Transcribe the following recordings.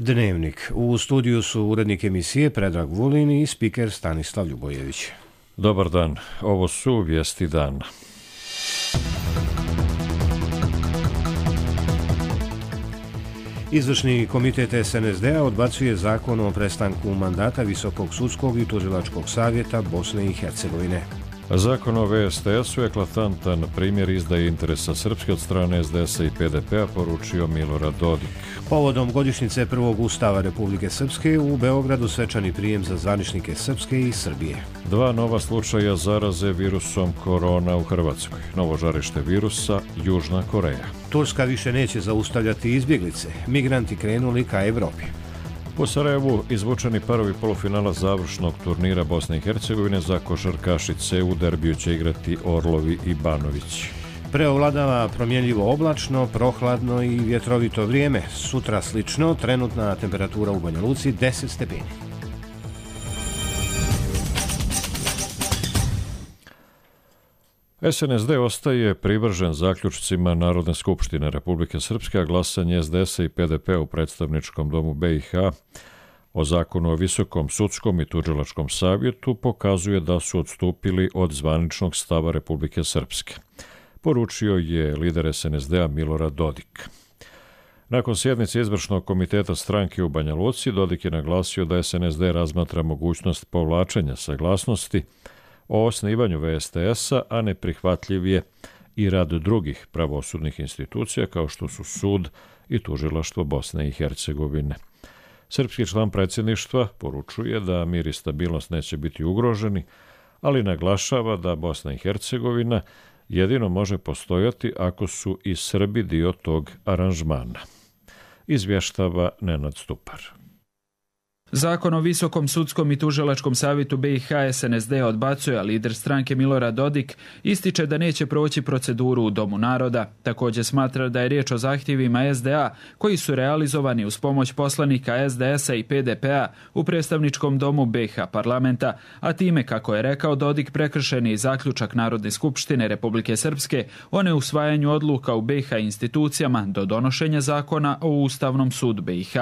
Dnevnik. U studiju su urednik emisije Predrag Vulin i spiker Stanislav Ljubojević. Dobar dan, ovo su vijesti dana. Izvršni komitet SNSD-a odbacuje zakon o prestanku mandata Visokog sudskog i tužilačkog savjeta Bosne i Hercegovine. Zakon o VSTS-u je eklatantan primjer izdaje interesa Srpske od strane SDS-a i PDP-a, poručio Milorad Dodik. Povodom godišnjice prvog ustava Republike Srpske u Beogradu svečani prijem za zvaničnike Srpske i Srbije. 2 nova slučaja zaraze virusom korona u Hrvatskoj. Novo žarište virusa, Južna Koreja. Turska više neće zaustavljati izbjeglice. Migranti krenuli ka Evropi. U Sarajevu izvučeni parovi polufinala završnog turnira Bosne i Hercegovine za košarkašice. U derbiju će igrati Orlovi i Banović. Preovladava promjenljivo oblačno, prohladno i vjetrovito vrijeme. Sutra slično, trenutna temperatura u Banja Luci 10 stepeni. SNSD ostaje privržen zaključcima Narodne skupštine Republike Srpske, a glasanje SDS-a i PDP u predstavničkom domu BiH o zakonu o Visokom sudskom i tužilačkom savjetu pokazuje da su odstupili od zvaničnog stava Republike Srpske. Poručio je lider SNSD-a Milorad Dodik. Nakon sjednice izvršnog komiteta stranke u Banja Luci, Dodik je naglasio da SNSD razmatra mogućnost povlačenja saglasnosti o osnivanju VSTS-a, a neprihvatljiv je i rad drugih pravosudnih institucija kao što su sud i tužilaštvo Bosne i Hercegovine. Srpski član predsjedništva poručuje da mir i stabilnost neće biti ugroženi, ali naglašava da Bosna i Hercegovina jedino može postojati ako su i Srbi dio tog aranžmana. Izvještava Nenad Stupar. Zakon o Visokom sudskom i tužilačkom savjetu BiH SNSD odbacuje, a lider stranke Milorad Dodik ističe da neće proći proceduru u Domu naroda. Također smatra da je riječ o zahtjevima SDA koji su realizovani uz pomoć poslanika SDS-a i PDP-a u predstavničkom domu BiH parlamenta, a time, kako je rekao Dodik, prekršen je i zaključak Narodne skupštine Republike Srpske o neusvajanju odluka u BiH institucijama do donošenja zakona o Ustavnom sudu BiH.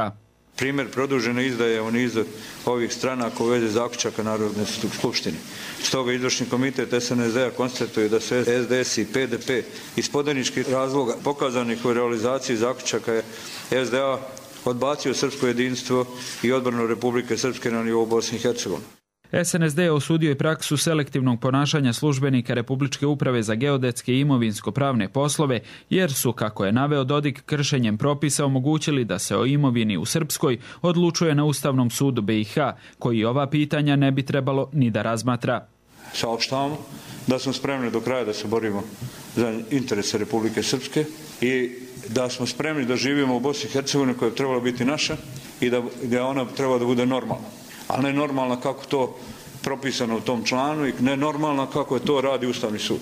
Primjer produžene izdaje u nizu ovih stranaka u vezi zaključaka Narodne skupštine. Stoga izvršni komitet SNSD-a konstatuje da su SDS i PDP iz podaničkih razloga pokazanih u realizaciji zaključaka SDA odbacio srpsko jedinstvo i odbranu Republike Srpske na nivou Bosne i Hercegovine. SNSD je osudio i praksu selektivnog ponašanja službenika Republičke uprave za geodetske i imovinsko-pravne poslove, jer su, kako je naveo Dodik, kršenjem propisa omogućili da se o imovini u Srpskoj odlučuje na Ustavnom sudu BiH, koji ova pitanja ne bi trebalo ni da razmatra. Saopštavamo da smo spremni do kraja da se borimo za interese Republike Srpske i da smo spremni da živimo u Bosni i Hercegovini koja je trebala biti naša i da ona treba da bude normalna. Ali ne normalna kako to propisano u tom članu i ne normalna kako je to radi Ustavni sud.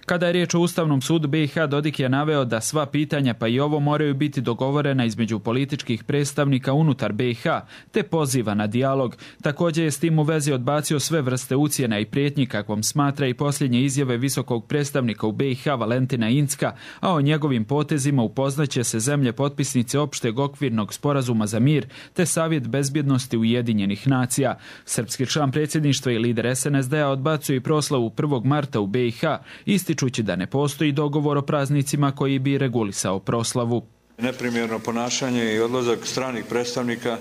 Kada je riječ o Ustavnom sudu BiH, Dodik je naveo da sva pitanja, pa i ovo, moraju biti dogovorena između političkih predstavnika unutar BiH, te poziva na dijalog. Također je s tim u vezi odbacio sve vrste ucjena i prijetnji, kakvom smatra i posljednje izjave visokog predstavnika u BiH Valentina Incka, a o njegovim potezima upoznaće se zemlje potpisnice opšteg okvirnog sporazuma za mir, te Savjet bezbjednosti Ujedinjenih nacija. Srpski član predsjedništva i lider SNSD-a odbacuje i proslavu 1. marta u BiH, ističući da ne postoji dogovor o praznicima koji bi regulisao proslavu. Neprimjerno ponašanje i odlazak stranih predstavnika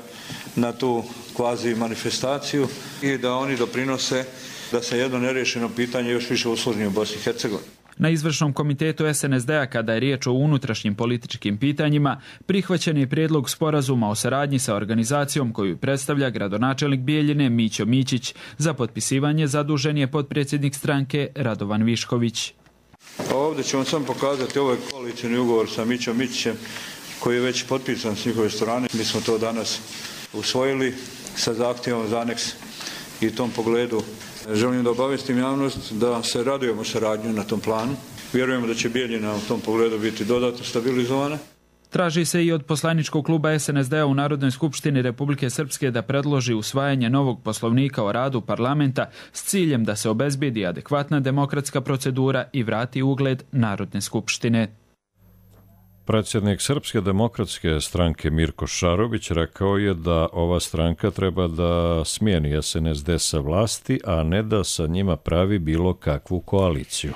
na tu kvazi manifestaciju i da oni doprinose da se jedno nerješeno pitanje još više usložni u Bosni i Hercegovini. Na izvršnom komitetu SNSD-a, kada je riječ o unutrašnjim političkim pitanjima, prihvaćen je prijedlog sporazuma o saradnji sa organizacijom koju predstavlja gradonačelnik Bijeljine Mićo Mićić. Za potpisivanje zadužen je potpredsjednik stranke Radovan Višković. Ovdje ću vam samo pokazati ovaj koalicijni ugovor sa Mićom Mićićem koji je već potpisan s njihove strane. Mi smo to danas usvojili sa zahtjevom za aneks i u tom pogledu želim da obavijestim javnost da se radujemo saradnju na tom planu. Vjerujemo da će Bijeljina u tom pogledu biti dodatno stabilizovana. Traži se i od poslaničkog kluba SNSD-a u Narodnoj skupštini Republike Srpske da predloži usvajanje novog poslovnika o radu parlamenta s ciljem da se obezbijedi adekvatna demokratska procedura i vrati ugled Narodne skupštine. Predsjednik Srpske demokratske stranke Mirko Šarović rekao je da ova stranka treba da smijeni SNSD sa vlasti, a ne da sa njima pravi bilo kakvu koaliciju.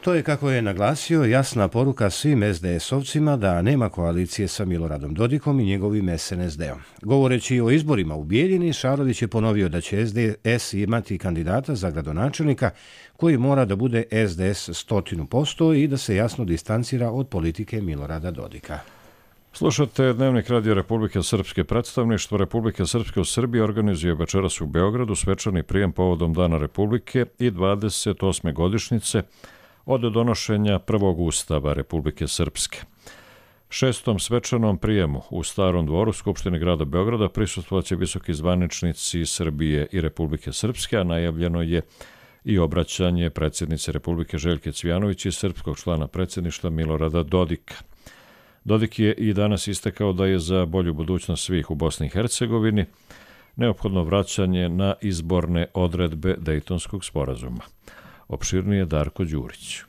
To je, kako je naglasio, jasna poruka svim SDS-ovcima da nema koalicije sa Miloradom Dodikom i njegovim SNSD-om. Govoreći o izborima u Bijeljini, Šarović je ponovio da će SDS imati kandidata za gradonačelnika koji mora da bude SDS 100% i da se jasno distancira od politike Milorada Dodika. Slušate Dnevnik Radio Republike Srpske. Predstavništvo Republike Srpske u Srbiji organizuje večeras u Beogradu svečani prijem povodom Dana Republike i 28. godišnjice od donošenja prvog ustava Republike Srpske. 6. svečanom prijemu u Starom dvoru Skupštine grada Beograda prisustvovaće visoki zvaničnici Srbije i Republike Srpske, a najavljeno je i obraćanje predsjednice Republike Željke Cvijanović i srpskog člana predsjedništva Milorada Dodika. Dodik je i danas istakao da je za bolju budućnost svih u Bosni i Hercegovini neophodno vraćanje na izborne odredbe Dejtonskog sporazuma. Opširnije Darko Đurić.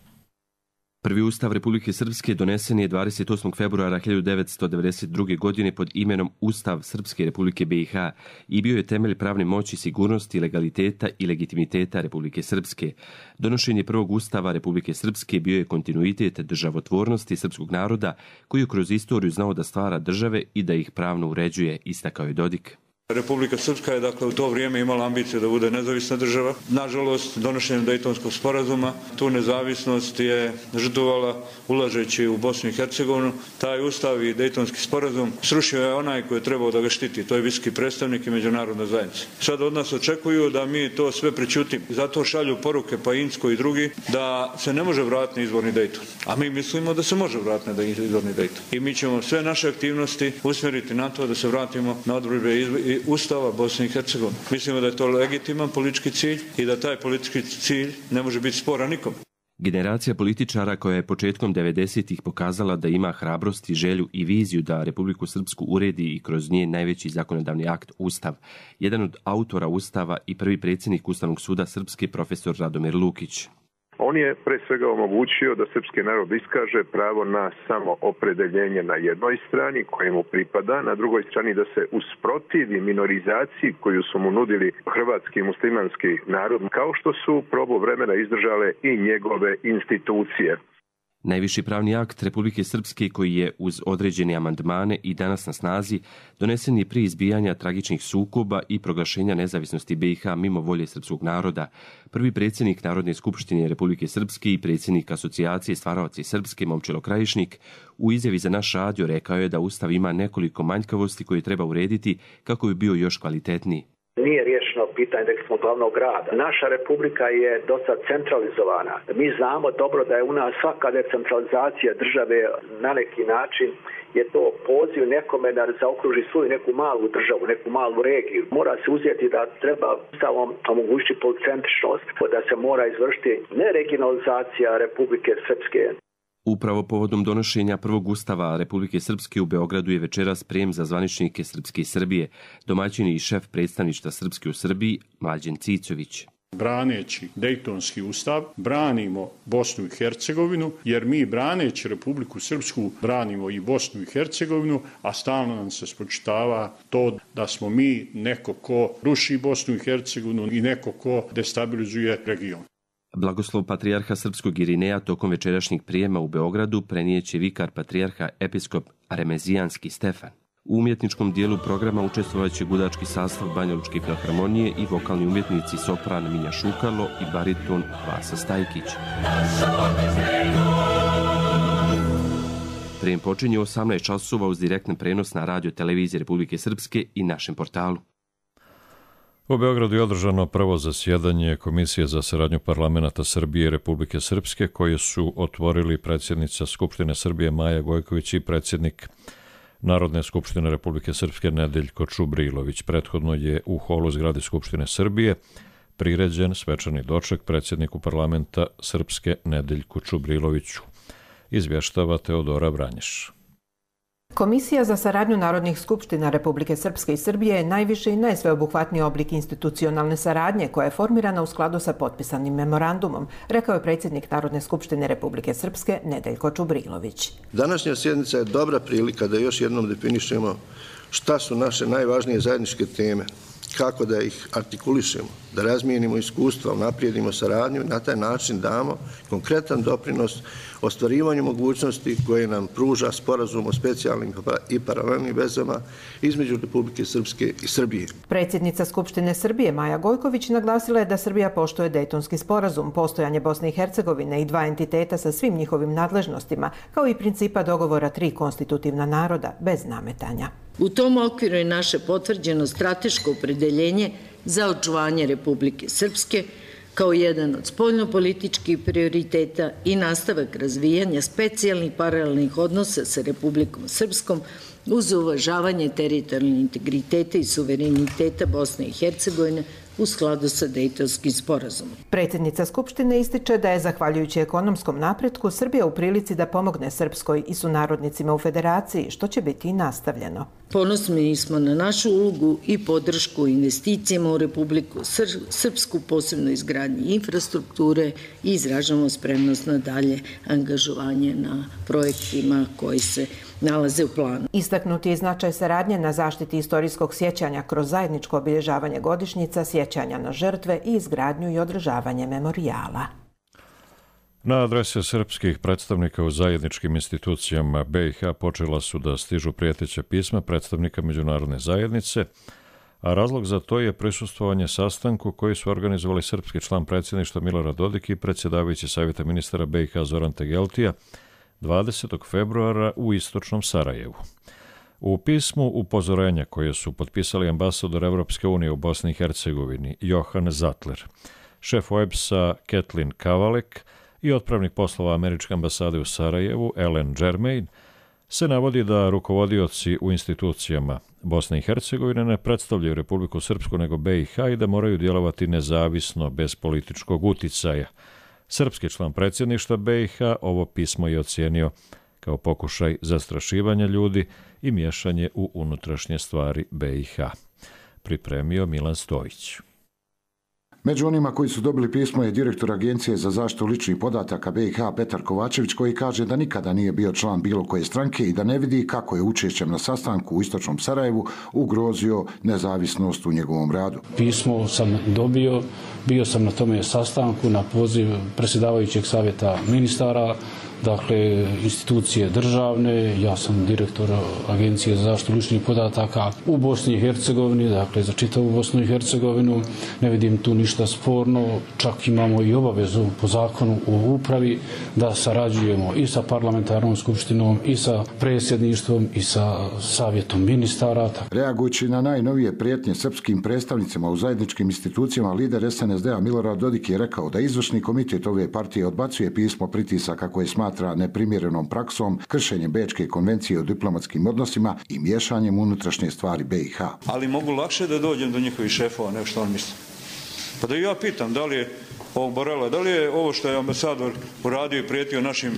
Prvi ustav Republike Srpske donesen je 28. februara 1992. godine pod imenom Ustav Srpske Republike BiH i bio je temelj pravne moći, sigurnosti, legaliteta i legitimiteta Republike Srpske. Donošenje prvog ustava Republike Srpske bio je kontinuitet državotvornosti srpskog naroda koji je kroz istoriju znao da stvara države i da ih pravno uređuje, istakao je Dodik. Republika Srpska je dakle u to vrijeme imala ambiciju da bude nezavisna država. Nažalost, donošenjem Dejtonskog sporazuma tu nezavisnost je žrtvovala ulažeći u Bosnu i Hercegovinu. Taj ustav i Dejtonski sporazum srušio je onaj koji je trebao da ga štiti, to je visoki predstavnik i međunarodna zajednica. Sad od nas očekuju da mi to sve prečutimo. Zato šalju poruke Pajinsko i drugi da se ne može vratiti na izvorni Dejton. A mi mislimo da se može vratiti na izvorni Dejton. I mi ćemo sve naše aktivnosti usmjeriti na to da se vratimo na odredbe Ustava Bosne i Hercegovine. Mislimo da je to legitiman politički cilj i da taj politički cilj ne može biti sporan nikom. Generacija političara koja je početkom 90-ih pokazala da ima hrabrost, želju i viziju da Republiku Srpsku uredi i kroz njen najveći zakonodavni akt Ustav. Jedan od autora Ustava i prvi predsjednik Ustavnog suda Srpske profesor Radomir Lukić. On je pre svega omogućio da srpski narod iskaže pravo na samoopredeljenje na jednoj strani kojemu pripada, na drugoj strani da se usprotivi minorizaciji koju su mu nudili hrvatski i muslimanski narod, kao što su probu vremena izdržale i njegove institucije. Najviši pravni akt Republike Srpske koji je uz određene amandmane i danas na snazi donesen je prije izbijanja tragičnih sukoba i proglašenja nezavisnosti BiH mimo volje srpskog naroda. Prvi predsjednik Narodne skupštine Republike Srpske i predsjednik Asocijacije stvaraoci Srpske Momčilo Krajišnik u izjavi za naš radio rekao je da Ustav ima nekoliko manjkavosti koje treba urediti kako bi bio još kvalitetniji. Nije riješeno pitanje recimo glavnog grada. Naša republika je dosta centralizovana. Mi znamo dobro da je u nas svaka decentralizacija države na neki način je to poziv nekome da zaokruži svoju neku malu državu, neku malu regiju. Mora se uzeti da treba Ustavom omogućiti policentričnost, da se mora izvršiti ne regionalizacija Republike Srpske. Upravo povodom donošenja prvog ustava Republike Srpske u Beogradu je večeras prijem za zvaničnike Srpske i Srbije, domaćin i šef predstavništva Srpske u Srbiji Mlađen Cicović. Braneći Dejtonski ustav, branimo Bosnu i Hercegovinu, jer mi braneći Republiku Srpsku branimo i Bosnu i Hercegovinu, a stalno nam se spočitava to da smo mi neko ko ruši Bosnu i Hercegovinu i neko ko destabilizuje region. Blagoslov patrijarha srpskog Irineja tokom večerašnjeg prijema u Beogradu prenijeće vikar patrijarha episkop Remezijanski Stefan. U umjetničkom dijelu programa učestvovaće gudački sastav Banjalučke filharmonije i vokalni umjetnici sopran Minja Šukalo i bariton Vasa Stajkić. Prijem počinje u 18 časova uz direktan prenos na radio televiziji Republike Srpske i našem portalu. U Beogradu je održano prvo zasjedanje Komisije za saradnju parlamenata Srbije i Republike Srpske koje su otvorili predsjednica Skupštine Srbije Maja Gojković i predsjednik Narodne skupštine Republike Srpske Nedeljko Čubrilović. Prethodno je u holu zgrade Skupštine Srbije priređen svečani doček predsjedniku parlamenta Srpske Nedeljku Čubriloviću. Izvještava Teodora Vranješ. Komisija za saradnju Narodnih skupština Republike Srpske i Srbije je najviši i najsveobuhvatniji oblik institucionalne saradnje koja je formirana u skladu sa potpisanim memorandumom, rekao je predsjednik Narodne skupštine Republike Srpske Nedeljko Čubrilović. Današnja sjednica je dobra prilika da još jednom definišemo šta su naše najvažnije zajedničke teme, kako da ih artikulišemo, da razmijenimo iskustva, unaprijedimo saradnju i na taj način damo konkretan doprinos ostvarivanju mogućnosti koje nam pruža sporazum o specijalnim i paralelnim vezama između Republike Srpske i Srbije. Predsjednica Skupštine Srbije Maja Gojković naglasila je da Srbija poštuje Dejtonski sporazum, postojanje Bosne i Hercegovine i dva entiteta sa svim njihovim nadležnostima, kao i principa dogovora 3 konstitutivna naroda bez nametanja. U tom okviru je naše potvrđeno strateško opredeljenje za očuvanje Republike Srpske kao jedan od spoljnopolitičkih prioriteta i nastavak razvijanja specijalnih paralelnih odnosa sa Republikom Srpskom uz uvažavanje teritorijalnog integriteta i suvereniteta Bosne i Hercegovine u skladu sa Dejtonskim sporazumom. Predsjednica Skupštine ističe da je, zahvaljujući ekonomskom napretku, Srbija u prilici da pomogne Srpskoj i sunarodnicima u Federaciji, što će biti i nastavljeno. Ponosni smo na našu ulogu i podršku investicijama u Republiku Srpsku, posebno izgradnji infrastrukture, i izražavamo spremnost na dalje angažovanje na projektima koji se nalaze u planu. Istaknuti je značaj saradnje na zaštiti istorijskog sjećanja kroz zajedničko obilježavanje godišnjica, sjećanja na žrtve i izgradnju i održavanje memorijala. Na adrese srpskih predstavnika u zajedničkim institucijama BiH počela su da stižu prijeteća pisma predstavnika međunarodne zajednice, a razlog za to je prisustvovanje sastanku koji su organizovali srpski član predsjedništva Milorad Dodik i predsjedavajući Savjeta ministara BiH Zoran Tegeltija 20. februara u istočnom Sarajevu. U pismu upozorenja koje su potpisali ambasador Evropske unije u Bosni i Hercegovini Johan Zatler, šef OEBS-a Kathleen Kavalek i otpravnik poslova Američke ambasade u Sarajevu Ellen Germain se navodi da rukovodioci u institucijama Bosne i Hercegovine ne predstavljaju Republiku Srpsku nego BiH i da moraju djelovati nezavisno bez političkog uticaja. Srpski član predsjedništva BiH ovo pismo je ocijenio kao pokušaj zastrašivanja ljudi i miješanje u unutrašnje stvari BiH. Pripremio Milan Stojić. Među onima koji su dobili pismo je direktor Agencije za zaštitu ličnih podataka BiH Petar Kovačević, koji kaže da nikada nije bio član bilo koje stranke i da ne vidi kako je učešćem na sastanku u istočnom Sarajevu ugrozio nezavisnost u njegovom radu. Pismo sam dobio, bio sam na tome sastanku na poziv predsjedavajućeg savjeta ministara, dakle institucije državne, ja sam direktor Agencije za zaštitu ličnih podataka u Bosni i Hercegovini, dakle za čitavu Bosnu i Hercegovinu, ne vidim tu ništa sporno, čak imamo i obavezu po zakonu u upravi da sarađujemo i sa parlamentarnom skupštinom i sa predsjedništvom i sa savjetom ministara. Reagujući na najnovije prijetnje srpskim predstavnicima u zajedničkim institucijama, lider SNSD-a Milorad Dodik je rekao da izvršni komitet ove partije odbacuje pismo pritisaka koje smatra neprimjerenom praksom, kršenjem Bečke konvencije o diplomatskim odnosima i miješanjem unutrašnje stvari BiH. Ali mogu lakše da dođem do njihovih šefova nego što on misli. Pa da ja pitam da li je ovog Borela, da li je ovo što je ambasador uradio i prijetio našim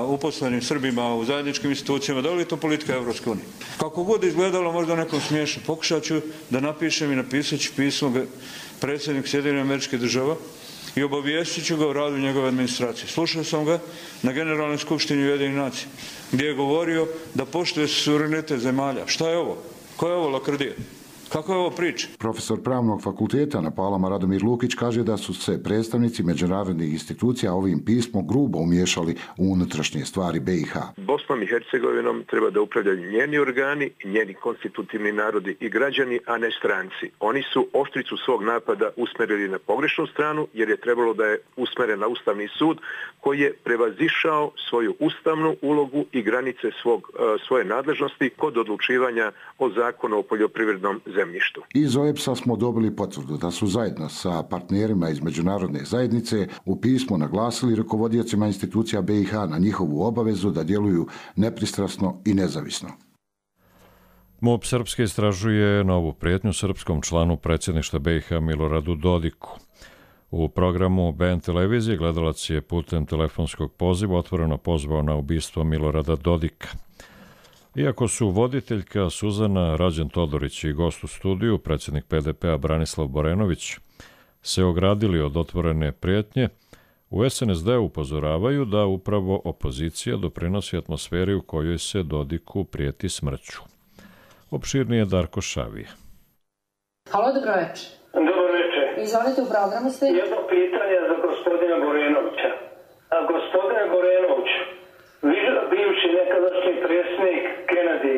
uposlenim Srbima u zajedničkim institucijama, da li je to politika Evropske unije? Kako god izgledalo možda nekom smiješno, pokušat ću da napišem i napisat ću pismo predsjednik Sjedinjenih Američkih Država i obavijestit ću ga o radu njegove administracije. Slušao sam ga na Generalnoj skupštini Ujedinjenih nacija, gdje je govorio da poštuje suverenitet zemalja. Šta je ovo? Koja je ovo lakrdija? Kako je ovo priča? Profesor pravnog fakulteta na Palama Radomir Lukić kaže da su se predstavnici međunarodnih institucija ovim pismom grubo umiješali u unutrašnje stvari BiH. Bosnom i Hercegovinom treba da upravljaju njeni organi, njeni konstitutivni narodi i građani, a ne stranci. Oni su oštricu svog napada usmerili na pogrešnu stranu jer je trebalo da je usmeren na Ustavni sud koji je prevazišao svoju ustavnu ulogu i granice svoje nadležnosti kod odlučivanja o zakonu o poljoprivrednom zemljištu. Iz OEBS-a smo dobili potvrdu da su zajedno sa partnerima iz međunarodne zajednice u pismu naglasili rukovodiocima institucija BiH na njihovu obavezu da djeluju nepristrasno i nezavisno. MUP Srpske istražuje novu prijetnju srpskom članu predsjedništva BiH Miloradu Dodiku. U programu BN televizije gledalac je putem telefonskog poziva otvoreno pozvao na ubistvo Milorada Dodika. Iako su voditeljka Suzana Rađen-Todorić i gost u studiju, predsjednik PDP-a Branislav Borenović, se ogradili od otvorene prijetnje, u SNSD upozoravaju da upravo opozicija doprinosi atmosferi u kojoj se Dodiku prijeti smrću. Opširnije Darko Šavije. Halo, dobro večer. Dobro večer. Izvolite, u programu ste. Jedno pitanje za gospodina Borenovića. Gospodine Borenović, bivši nekadašnji predsjednik Kennedy,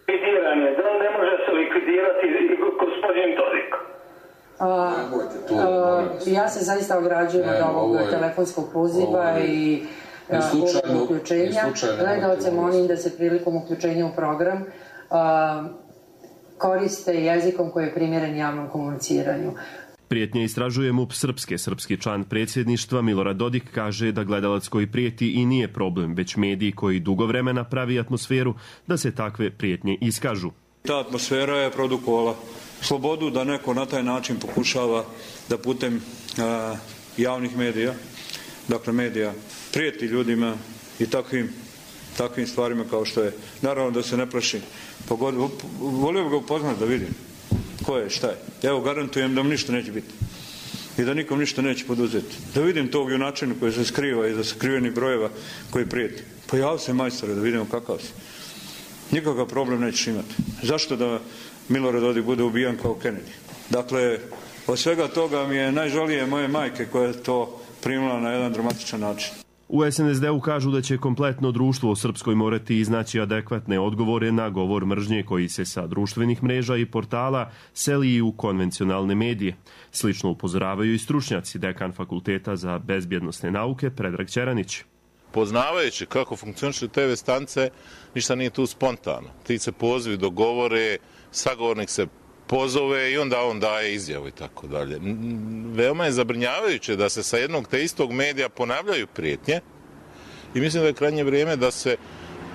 likvidiran je. Da li ne može se likvidirati i gospodin Dodik? Ja se zaista ograđujem od ovog telefonskog poziva i uključenja. Gledalce molim da se prilikom uključenja u program koriste jezikom koji je primjeren javnom komuniciranju. Prijetnje istražuje MUP Srpske. Srpski član predsjedništva Milorad Dodik kaže da gledalac koji prijeti i nije problem, već mediji koji dugo vremena pravi atmosferu da se takve prijetnje iskažu. Ta atmosfera je produkovala slobodu da neko na taj način pokušava da putem javnih medija, dakle medija, prijeti ljudima i takvim stvarima kao što je. Naravno da se ne plaši. Volio bi ga upoznati da vidim ko je, šta je. Evo, garantujem da mu ništa neće biti i da nikom ništa neće poduzeti. Da vidim tog junačina koji se skriva iza sakrivenih brojeva koji prijeti. Pojavi se, majstore, da vidimo kakav si. Nikakav problem nećeš imati. Zašto da Milorad Dodik bude ubijan kao Kennedy? Dakle, od svega toga mi je najžalije moje majke koja je to primila na jedan dramatičan način. U SNSD-u kažu da će kompletno društvo u Srpskoj morati iznaći adekvatne odgovore na govor mržnje koji se sa društvenih mreža i portala seli i u konvencionalne medije. Slično upozoravaju i stručnjaci, dekan Fakulteta za bezbjednosne nauke Predrag Ćeranić. Poznavajući kako funkcionišu TV stanice, ništa nije tu spontano. Ti se pozivi dogovore, sagovornik se pozove i onda on daje izjavu i tako dalje. Veoma je zabrinjavajuće da se sa jednog te istog medija ponavljaju prijetnje i mislim da je krajnje vrijeme da se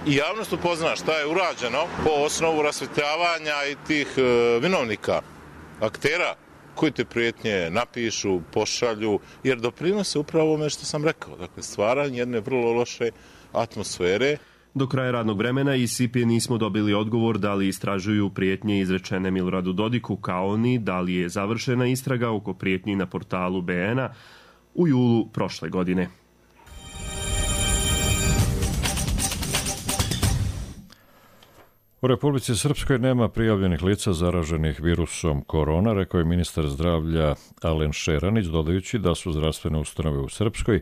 i javnost upozna šta je urađeno po osnovu rasvjetljavanja i tih vinovnika, aktera koji te prijetnje napišu, pošalju, jer doprinose upravo ovome što sam rekao, dakle stvaranje jedne vrlo loše atmosfere. Do kraja radnog vremena iz SIP-e nismo dobili odgovor da li istražuju prijetnje izrečene Miloradu Dodiku, kao ni da li je završena istraga oko prijetnji na portalu BN-a u julu prošle godine. U Republici Srpskoj nema prijavljenih lica zaraženih virusom korona, rekao je ministar zdravlja Alen Šeranić, dodajući da su zdravstvene ustanove u Srpskoj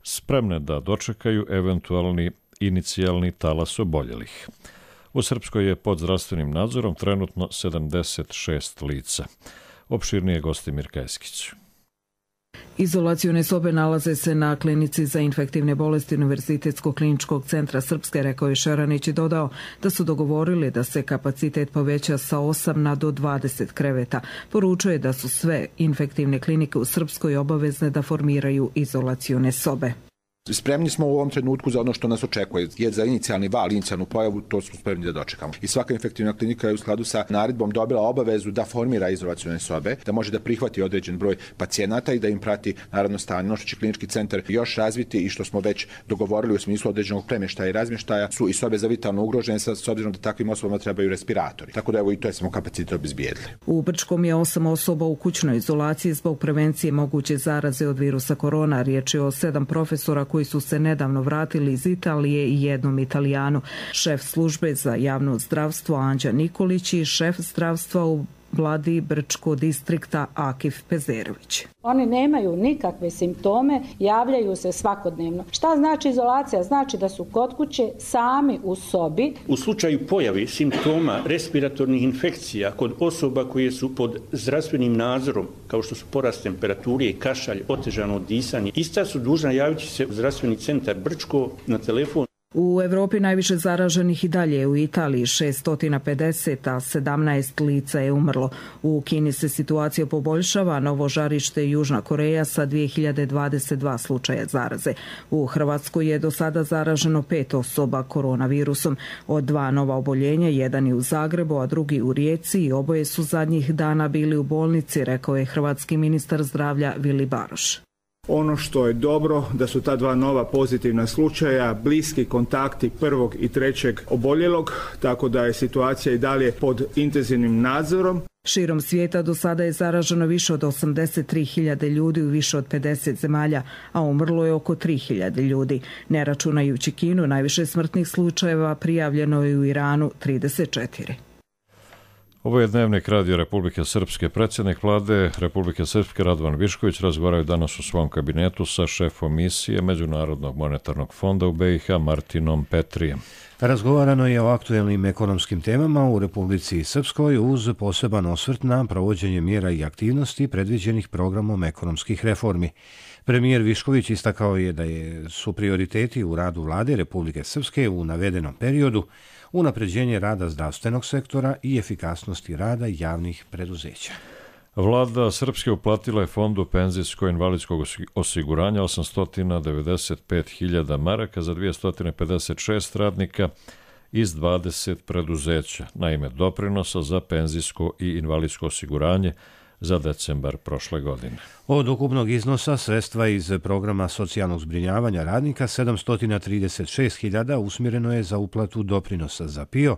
spremne da dočekaju eventualni inicijalni talas oboljelih. U Srpskoj je pod zdravstvenim nadzorom trenutno 76 lica. Opširnije Gostimir Keskić. Izolacione sobe nalaze se na klinici za infektivne bolesti Univerzitetskog kliničkog centra Srpske, rekao je Šeranić i dodao da su dogovorili da se kapacitet poveća sa 8 na do 20 kreveta. Poručuje da su sve infektivne klinike u Srpskoj obavezne da formiraju izolacione sobe. Spremni smo u ovom trenutku za ono što nas očekuje. Je za inicijalni val, inicijalnu pojavu, to smo spremni da dočekamo. I svaka infektivna klinika je u skladu sa naredbom dobila obavezu da formira izolacione sobe, da može da prihvati određen broj pacijenata i da im prati naravno stanje. Ono što će klinički centar još razviti i što smo već dogovorili u smislu određenog premještaja i razmještaja su i sobe za vitalno ugrožene s obzirom da takvim osobama trebaju respiratori. Tako da evo i to je samo kapacitet obezbijedili. U Brčkom je 8 osoba u kućnoj izolaciji zbog prevencije moguće zaraze od virusa korona. Riječ je o 7 profesora koji su se nedavno vratili iz Italije i jednom Italijanu. Šef službe za javno zdravstvo Anđa Nikolić i šef zdravstva u vladi Brčko distrikta Akif Pezerović. Oni nemaju nikakve simptome, javljaju se svakodnevno. Šta znači izolacija? Znači da su kod kuće sami u sobi. U slučaju pojave simptoma respiratornih infekcija kod osoba koje su pod zdravstvenim nadzorom, kao što su porast temperature, kašalj, otežano disanje, ista su dužna javiti se u zdravstveni centar Brčko na telefon. U Evropi najviše zaraženih i dalje u Italiji 650, a 17 lica je umrlo. U Kini se situacija poboljšava, Novo Žarište i Južna Koreja sa 2022 slučaja zaraze. U Hrvatskoj je do sada zaraženo 5 osoba koronavirusom. Od 2 nova oboljenja, jedan je u Zagrebu, a drugi u Rijeci i oboje su zadnjih dana bili u bolnici, rekao je hrvatski ministar zdravlja Vili Baroš. Ono što je dobro da su ta dva nova pozitivna slučaja bliski kontakti prvog i trećeg oboljelog, tako da je situacija i dalje pod intenzivnim nadzorom. Širom svijeta do sada je zaraženo više od 83.000 ljudi u više od 50 zemalja, a umrlo je oko 3.000 ljudi. Ne računajući Kinu, najviše smrtnih slučajeva prijavljeno je u Iranu 34. Ovo je Dnevnik Radio Republike Srpske. Predsjednik vlade Republike Srpske Radovan Višković razgovaraju danas u svom kabinetu sa šefom misije Međunarodnog monetarnog fonda u BiH Martinom Petrijem. Razgovarano je o aktuelnim ekonomskim temama u Republici Srpskoj uz poseban osvrt na provođenje mjera i aktivnosti predviđenih programom ekonomskih reformi. Premijer Višković istakao je da su prioriteti u radu vlade Republike Srpske u navedenom periodu unapređenje rada zdravstvenog sektora i efikasnosti rada javnih preduzeća. Vlada Srpske uplatila je Fondu penzijsko-invalidskog osiguranja 895.000 maraka za 256 radnika iz 20 preduzeća na ime doprinosa za penzijsko i invalidsko osiguranje za decembar prošle godine. Od ukupnog iznosa sredstva iz programa socijalnog zbrinjavanja radnika 736.000 usmjereno je za uplatu doprinosa za PIO,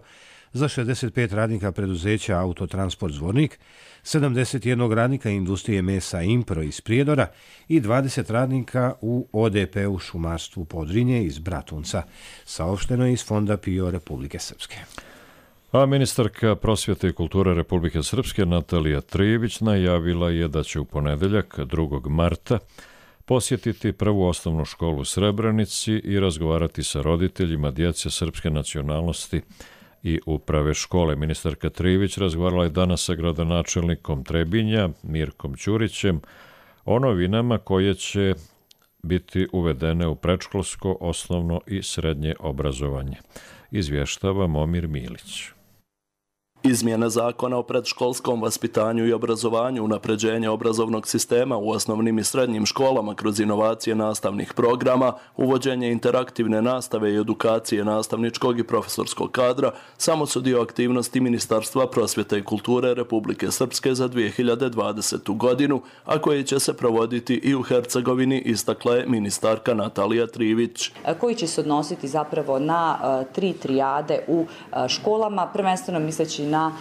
za 65 radnika preduzeća Autotransport Zvornik, 71 radnika industrije mesa Impro iz Prijedora i 20 radnika u ODP-u šumarstvu Podrinje iz Bratunca, saopšteno je iz Fonda PIO Republike Srpske. A ministarka prosvjete i kulture Republike Srpske Natalija Trijević najavila je da će u ponedeljak 2. marta posjetiti prvu osnovnu školu u Srebrenici i razgovarati sa roditeljima djece srpske nacionalnosti i uprave škole. Ministarka Trijević razgovarala je danas sa gradonačelnikom Trebinja Mirkom Ćurićem o novinama koje će biti uvedene u predškolsko, osnovno i srednje obrazovanje. Izvještava Momir Milić. Izmjene zakona o predškolskom vaspitanju i obrazovanju, unapređenje obrazovnog sistema u osnovnim i srednjim školama kroz inovacije nastavnih programa, uvođenje interaktivne nastave i edukacije nastavničkog i profesorskog kadra samo su dio aktivnosti Ministarstva prosvjete i kulture Republike Srpske za 2020. godinu, a koji će se provoditi i u Hercegovini, istakla je ministarka Natalija Trijević. Koji će se odnositi zapravo na 3 trijade u školama, prvenstveno misleći na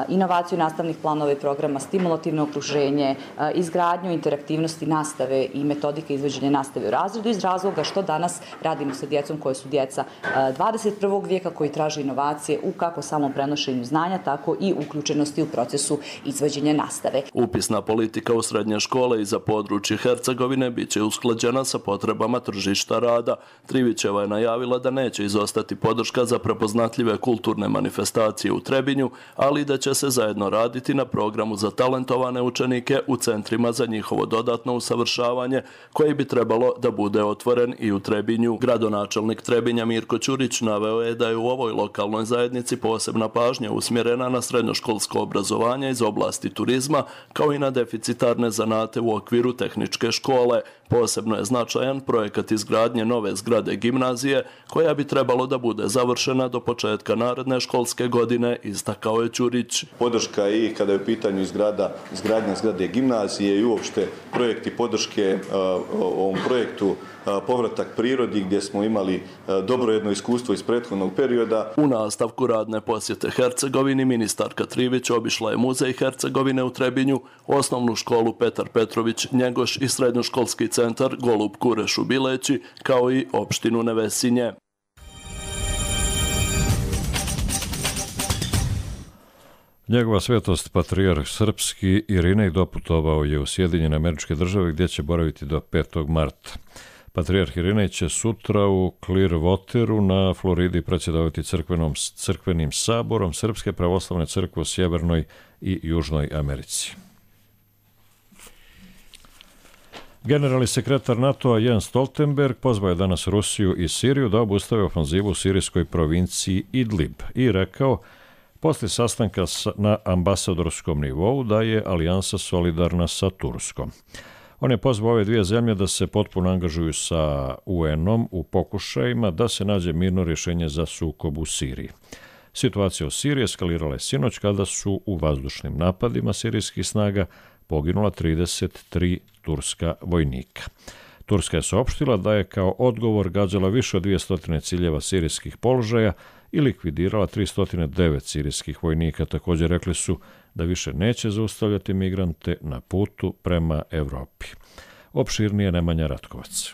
inovaciju nastavnih planova i programa, stimulativno okruženje, izgradnju interaktivnosti nastave i metodike izvođenja nastave u razredu iz razloga što danas radimo sa djecom koje su djeca 21. vijeka koji traže inovacije u kako samom prenošenju znanja, tako i uključenosti u procesu izvođenja nastave. Upisna politika u srednje škole i za područje Hercegovine bit će usklađena sa potrebama tržišta rada. Trivićeva je najavila da neće izostati podrška za prepoznatljive kulturne manifestacije u Trebinju, ali da će se zajedno raditi na programu za talentovane učenike u centrima za njihovo dodatno usavršavanje, koji bi trebalo da bude otvoren i u Trebinju. Gradonačelnik Trebinja Mirko Ćurić naveo je da je u ovoj lokalnoj zajednici posebna pažnja usmjerena na srednjoškolsko obrazovanje iz oblasti turizma, kao i na deficitarne zanate u okviru tehničke škole. Posebno je značajan projekat izgradnje nove zgrade gimnazije, koja bi trebalo da bude završena do početka naredne školske godine, istakao je Ćurić. Podrška i kada je u pitanju izgradnja zgrade gimnazije i uopšte projekti podrške ovom projektu povratak prirodi gdje smo imali dobro jedno iskustvo iz prethodnog perioda. U nastavku radne posjete Hercegovini ministarka Trijević obišla je muzej Hercegovine u Trebinju, osnovnu školu Petar Petrović Njegoš i srednjoškolski centar Golub Kureš u Bileći, kao i opštinu Nevesinje. Njegova svetost patrijarh srpski Irinej doputovao je u Sjedinjene Američke Države gdje će boraviti do 5. marta. Patrijarh Irinej će sutra u Clearwateru na Floridi predsjedavati crkvenim saborom Srpske pravoslavne crkve u Sjevernoj i Južnoj Americi. Generalni sekretar NATO-a Jens Stoltenberg pozvao je danas Rusiju i Siriju da obustave ofanzivu u sirijskoj provinciji Idlib i rekao poslije sastanka na ambasadorskom nivou da je alijansa solidarna sa Turskom. On je pozvao ove dvije zemlje da se potpuno angažuju sa UN-om u pokušajima da se nađe mirno rješenje za sukob u Siriji. Situacija u Siriji eskalirala je sinoć kada su u vazdušnim napadima sirijskih snaga poginula 33 turska vojnika. Turska je saopštila da je kao odgovor gađala više od 200 ciljeva sirijskih položaja i likvidirala 309 sirijskih vojnika. Također rekli su da više neće zaustavljati migrante na putu prema Evropi. Opširnije Nemanja Ratkovac.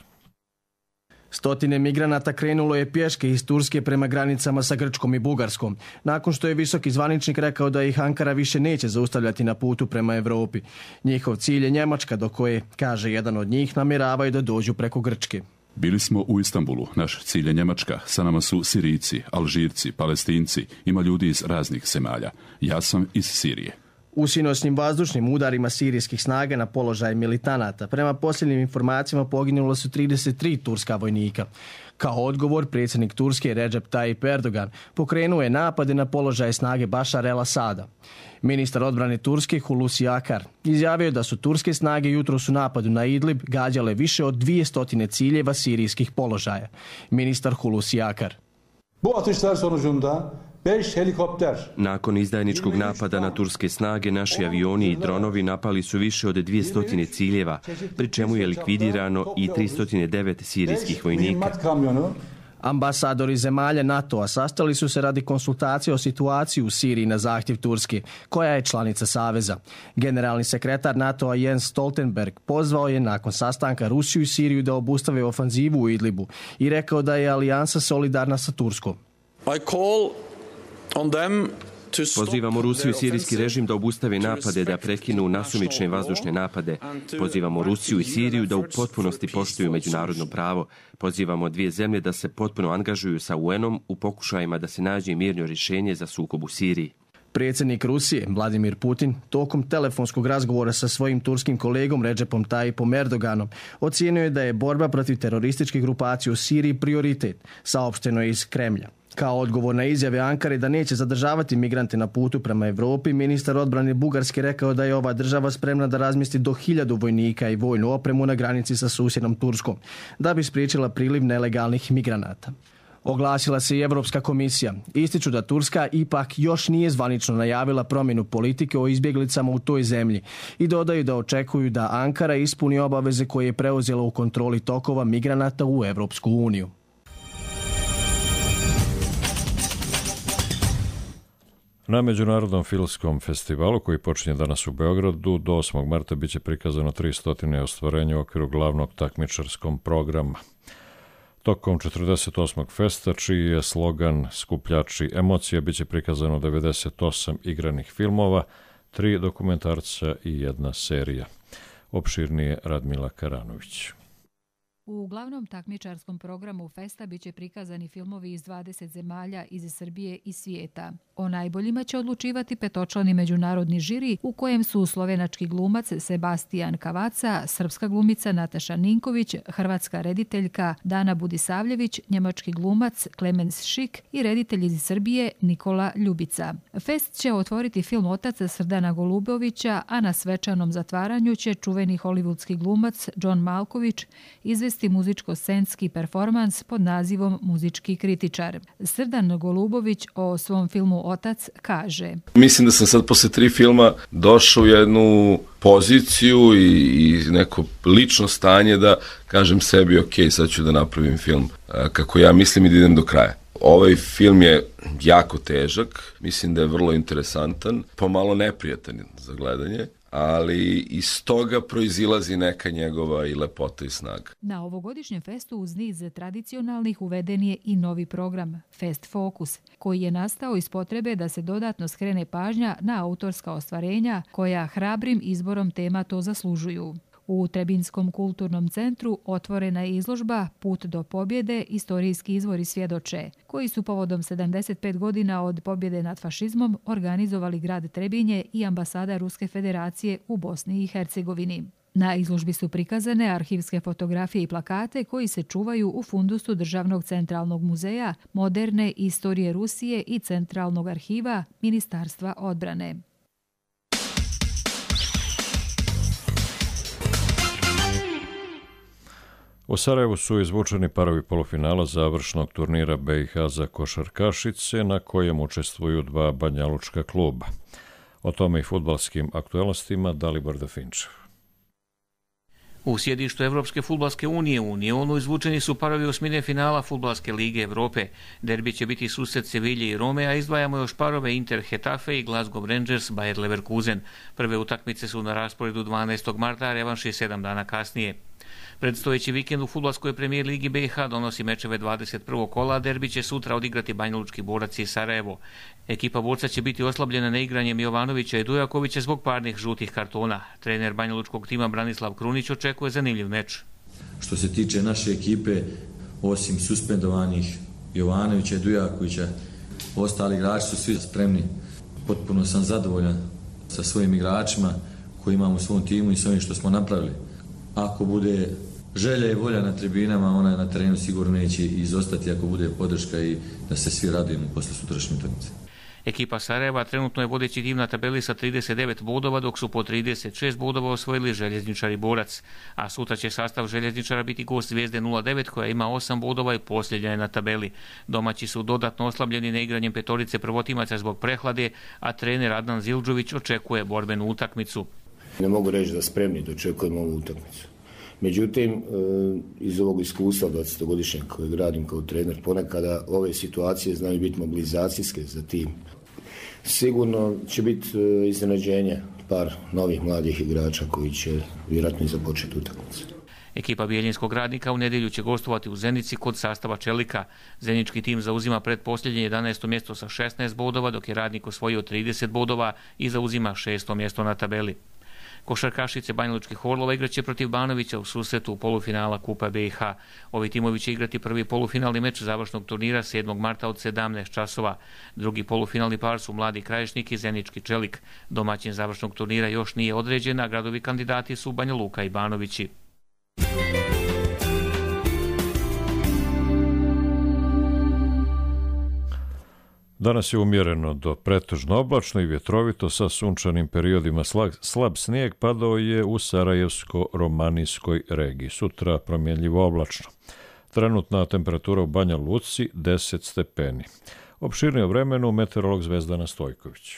Stotine migranata krenulo je pješke iz Turske prema granicama sa Grčkom i Bugarskom, nakon što je visoki zvaničnik rekao da ih Ankara više neće zaustavljati na putu prema Evropi. Njihov cilj je Njemačka, do koje, kaže jedan od njih, namjeravaju da dođu preko Grčke. Bili smo u Istanbulu, naš cilj je Njemačka, sa nama su Sirijci, Alžirci, Palestinci, ima ljudi iz raznih zemalja. Ja sam iz Sirije. U sinoćnim vazdušnim udarima sirijskih snaga na položaj militanata, prema posljednjim informacijama poginulo su 33 turska vojnika. Kao odgovor, predsjednik Turske Recep Tayyip Erdogan pokrenuo je napade na položaje snage Bašar el-Asada. Ministar odbrane Turske Hulusi Akar izjavio da su turske snage jutros u napadu na Idlib gađale više od 200 ciljeva sirijskih položaja. Ministar Hulusi Akar. Bu atışlar sonucunda 5 helikopter. Nakon izdajničkog napada na turske snage, naši avioni i dronovi napali su više od 200 ciljeva, pri čemu je likvidirano i 309 sirijskih vojnika. Ambasadori zemalja NATO-a sastali su se radi konsultacije o situaciji u Siriji na zahtjev Turske, koja je članica Saveza. Generalni sekretar NATO-a Jens Stoltenberg pozvao je nakon sastanka Rusiju i Siriju da obustave ofanzivu u Idlibu i rekao da je alijansa solidarna sa Turskom. Pozivamo Rusiju i sirijski režim da obustave napade, da prekinu nasumične vazdušne napade. Pozivamo Rusiju i Siriju da u potpunosti poštuju međunarodno pravo. Pozivamo dvije zemlje da se potpuno angažuju sa UN-om u pokušajima da se nađe mirno rješenje za sukob u Siriji. Predsjednik Rusije, Vladimir Putin, tokom telefonskog razgovora sa svojim turskim kolegom Recepom Tayyipom Erdoganom, ocijenio je da je borba protiv terorističkih grupacija u Siriji prioritet, saopšteno je iz Kremlja. Kao odgovor na izjave Ankare da neće zadržavati migrante na putu prema Evropi, ministar odbrane Bugarske rekao da je ova država spremna da razmjesti do 1000 vojnika i vojnu opremu na granici sa susjednom Turskom, da bi spriječila priliv nelegalnih migranata. Oglasila se i Europska komisija. Ističu da Turska ipak još nije zvanično najavila promjenu politike o izbjeglicama u toj zemlji i dodaju da očekuju da Ankara ispuni obaveze koje je preuzela u kontroli tokova migranata u Europsku uniju. Na Međunarodnom filmskom festivalu koji počinje danas u Beogradu do 8. marta biće prikazano 300 ostvarenja u okviru glavnog takmičarskog programa. Tokom 48. festa, čiji je slogan Skupljači emocija, biće prikazano 98 igranih filmova, 3 dokumentarca i 1 serija. Opširnije Radmila Karanović. U glavnom takmičarskom programu festa biće prikazani filmovi iz 20 zemalja iz Srbije i svijeta. O najboljima će odlučivati petočlani međunarodni žiri u kojem su slovenački glumac Sebastijan Kavaca, srpska glumica Nataša Ninković, hrvatska rediteljka Dana Budisavljević, njemački glumac Klemens Šik i reditelj iz Srbije Nikola Ljubica. Fest će otvoriti film Otac Srdana Golubovića, a na svečanom zatvaranju će čuveni hollywoodski glumac John Malković izvesti muzičko-scenski performans pod nazivom Muzički kritičar. Srdan Golubović o svom filmu Otac kaže: Mislim da sam sad posle 3 filma došao u jednu poziciju i neko lično stanje da kažem sebi ok, sad ću da napravim film kako ja mislim i da idem do kraja. Ovaj film je jako težak, mislim da je vrlo interesantan, pomalo neprijatan za gledanje, ali iz toga proizilazi neka njegova i lepota i snaga. Na ovogodišnjem festu uz niz tradicionalnih uveden je i novi program Fest Focus, koji je nastao iz potrebe da se dodatno skrene pažnja na autorska ostvarenja koja hrabrim izborom tema to zaslužuju. U Trebinskom kulturnom centru otvorena je izložba Put do pobjede, istorijski izvori svjedoče, koji su povodom 75 godina od pobjede nad fašizmom organizovali grad Trebinje i ambasada Ruske federacije u Bosni i Hercegovini. Na izložbi su prikazane arhivske fotografije i plakate koji se čuvaju u fundusu Državnog centralnog muzeja, moderne istorije Rusije i Centralnog arhiva Ministarstva odbrane. U Sarajevu su izvučeni parovi polufinala završnog turnira BiH za košarkašice na kojem učestvuju 2 banjalučka kluba. O tome i fudbalskim aktualnostima Dalibor Dafinčev. U sjedištu Evropske fudbalske unije u Unionu izvučeni su parovi osmine finala Fudbalske lige Evrope. Derbi će biti susret Sevilje i Rome, a izdvajamo još parove Inter Hetafe i Glasgow Rangers Bayer Leverkusen. Prve utakmice su na rasporedu 12. marta, a revanš je 7 dana kasnije. Predstojeći vikend u fudbalskoj premijer ligi BiH donosi mečeve 21. kola, a derbi će sutra odigrati Banjalučki Borac i Sarajevo. Ekipa Borca će biti oslabljena neigranjem Jovanovića i Dujakovića zbog parnih žutih kartona. Trener banjalučkog tima Branislav Krunić očekuje zanimljiv meč. Što se tiče naše ekipe, osim suspendovanih Jovanovića i Dujakovića, ostali igrači su svi spremni. Potpuno sam zadovoljan sa svojim igračima koji imamo u svom timu i s ovim što smo napravili. Ako bude želja i volja na tribinama, ona na terenu sigurno neće izostati ako bude podrška i da se svi radujemo posle sutrašnje utakmice. Ekipa Sarajeva trenutno je vodeći tim na tabeli sa 39 bodova, dok su po 36 bodova osvojili Željezničar i Borac. A sutra će sastav Željezničara biti gost Zvijezde 09 koja ima 8 bodova i posljednja je na tabeli. Domaći su dodatno oslabljeni neigranjem petorice prvotimaca zbog prehlade, a trener Adnan Zildžović očekuje borbenu utakmicu. Ne mogu reći da spremni da očekujemo ovu utakmicu. Međutim, iz ovog iskustva 20-godišnjeg kojeg radim kao trener, ponekada ove situacije znaju biti mobilizacijske za tim. Sigurno će biti iznenađenje par novih mladih igrača koji će vjerojatno i započeti utakmicu. Ekipa Bijeljinskog Radnika u nedjelju će gostovati u Zenici kod sastava Čelika. Zenički tim zauzima pretposljednje 11. mjesto sa 16 bodova, dok je Radnik osvojio 30 bodova i zauzima 6. mjesto na tabeli. Košarkašice Banjalučkih Orlova igraće protiv Banovića u susretu polufinala Kupa BiH. Ovi timovi će igrati prvi polufinalni meč završnog turnira 7. marta od 17 časova. Drugi polufinalni par su Mladi Krajišnik i Zenički Čelik. Domaćin završnog turnira još nije određen, a gradovi kandidati su Banja Luka i Banovići. Danas je umjereno do pretežno oblačno i vjetrovito sa sunčanim periodima. Slab snijeg padao je u Sarajevsko-Romanijskoj regiji. Sutra promjenljivo oblačno. Trenutna temperatura u Banja Luci 10 stepeni. Opširnije o vremenu meteorolog Zvezdana Stojković.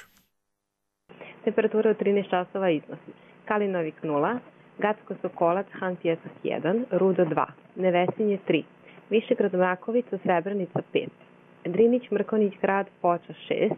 Temperatura u 13 časova iznosi Kalinovik 0, Gacko Sokolac, Han Pjesak 1, Rudo 2, Nevesinje 3, Višegrad Mrakovica, Srebrenica 5, Drinić, Mrkonić, Grad, Foča 6,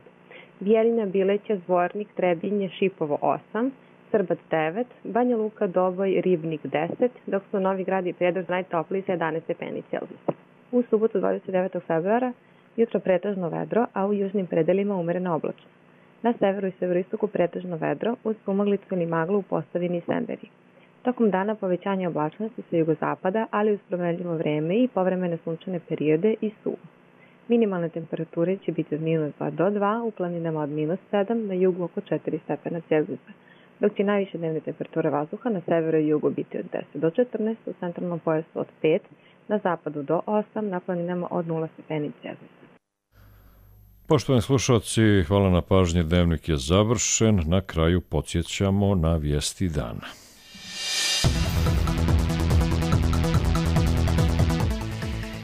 Bijeljina, Bileća, Zvornik, Trebinje, Šipovo 8, Srbac 9, Banja Luka, Doboj, Ribnik 10, dok su Novi Grad i Prijedor najtopliji sa 11 stepeni Celzijusa. U subotu 29. februara jutro pretežno vedro, a u južnim predelima umerena oblačnost. Na severu i severoistoku pretežno vedro uz sumaglicu ili maglu u Posavini i Semberi. Tokom dana povećanje oblačnosti sa jugozapada, ali uz promenljivo vreme i povremene sunčane periode i suvo. Minimalne temperature će biti od -2 do 2, u planinama od -7, na jugu oko 4 stepena Celzijusa, dok će najviše dnevne temperature vazduha na severu i jugu biti od 10 do 14, u centralnom pojasu od 5, na zapadu do 8, na planinama od 0 stepeni Celzijusa. Poštovani slušalci, hvala na pažnji, dnevnik je završen. Na kraju podsjećamo na vijesti dana.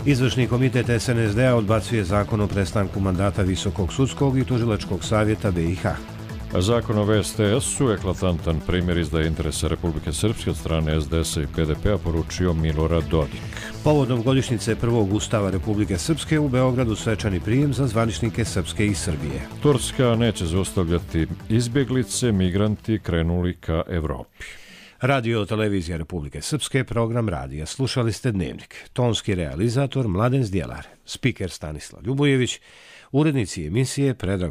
Izvršni komitet SNSD-a odbacuje zakon o prestanku mandata Visokog sudskog i tužilačkog savjeta BiH. Zakon o VSTS-u, eklatantan primjer izdaje interesa Republike Srpske od strane SDS-a i PDP-a, poručio Milorad Dodik. Povodom godišnjice prvog ustava Republike Srpske u Beogradu svečani prijem za zvaničnike Srpske i Srbije. Turska neće zaustavljati izbjeglice, migranti krenuli ka Evropi. Radio Televizija Republike Srpske, program radija. Slušali ste Dnevnik. Tonski realizator Mladen Zdjelar, spiker Stanislav Ljubojević, urednici emisije Predrag